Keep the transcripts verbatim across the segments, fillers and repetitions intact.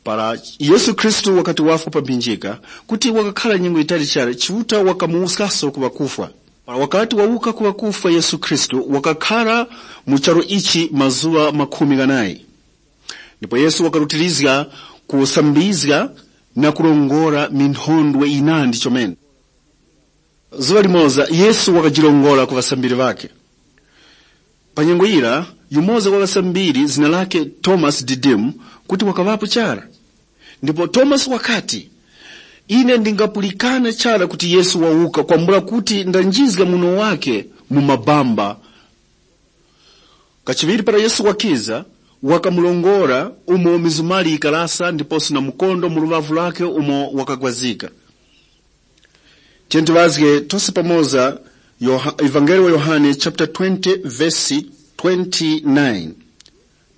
Para Yesu Khristu wakati wafwa pa mphinjika, kuti wakakhara nyengo yitali chara, Chiuta wakamuwuskaso ku ŵakufwa. Para wakati wawuka ku ŵakufwa, Yesu Khristu wakakhara mu charu ichi mazuŵa makhumi ghanayi. Ndipo Yesu wakarutirizga kusambizga na kurongora minthondwe yinandi chomene. Zuŵa limoza Yesu wakajirongora ku ŵasambiri ŵakhe. Pa nyengo yira, yumoza wa ŵasambiri zina lakhe Tomasi Didimu kuti wakaŵapo chara. Ndipo Tomasi wakati, “Ine ndingapulikana chara kuti Yesu wawuka kwambula kuti ndanjizga muno wakhe mu mabamba.” Kachiŵiri para Yesu wakiza, wakamurongora umo mizumari yikarasa ndiposo na mukondo mu luŵavu lwakhe umo wakagwazika. Tiyeni tiŵazge tose pamoza Yoha- Evangeli wa Yohane chapter twenty verse twenty-nine.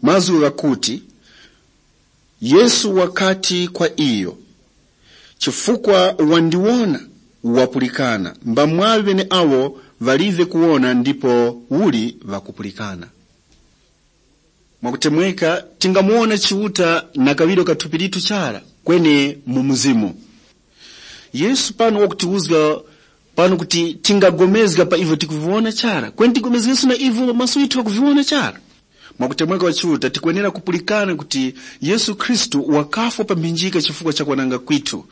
Mazgu ghakuti, Yesu wakati kwa iyo, “Chifukwa wandiwona, wapulikana. Mbamwaŵi ŵeneawo ŵalive kuwona ndipo uli ŵakupulikana.” Mwakutemweka, tingamuwona Chiuta na kaŵiro ka thupi litu chara, kweni mu mzimu. Yesu pano wakutiwuzga pano kuti tingapulikana pa ivyo tikuviwona chara, kweni tipulikane na ivyo maso ghithu ghakuviwona chara. Mwakutemweka kwa Chiuta, tikwenera kupulikana kuti Yesu Khristu wakafwa pa mphinjika chifukwa cha kwananga kwithu.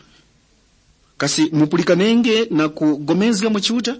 Kasi mupulikanenge na kupulikana mwa Chiuta?